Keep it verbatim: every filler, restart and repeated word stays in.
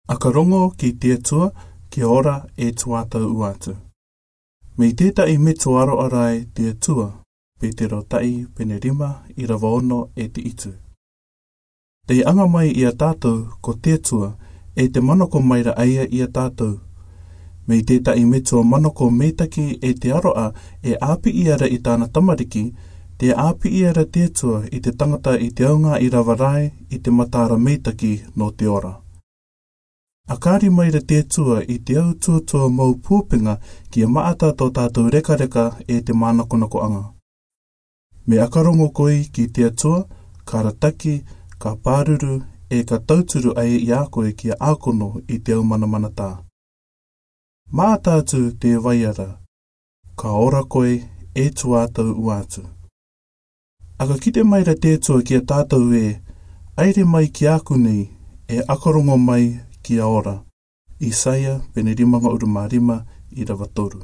Aka rongo ki te Atua, kia ora e tuatau uatu. Mei tetahi metua aroarai te Atua. Petero tahi, pene rima, irava ono e te itu. Te anga mai ia tatou ko te Atua, e te manako mai ra aia ia tatou. Mei tetahi metua manako meitaki e te aroa, e apii ara i tana tamariki, te apii ara te Atua i te tangata i te aoga irava rai i te matara meitaki no te ora. A kari mai ra te Atua i te au tuatua mau pupenga kia maata to tatou rekareka e te manakonakoaga. Me aka rongo koe ki te Atua, ka rataki, ka paruru, e ka tauturu ai ia koe kia akono i te au manamanata. Maata atu te vai ara, ka ora koe e tuatau uatu. Aka kite mai ra te Atua kia tatou e, aere mai ki aku nei, e aka rongo mai kia ora. Isaia, pene rima ngauru ma rima, irava toru.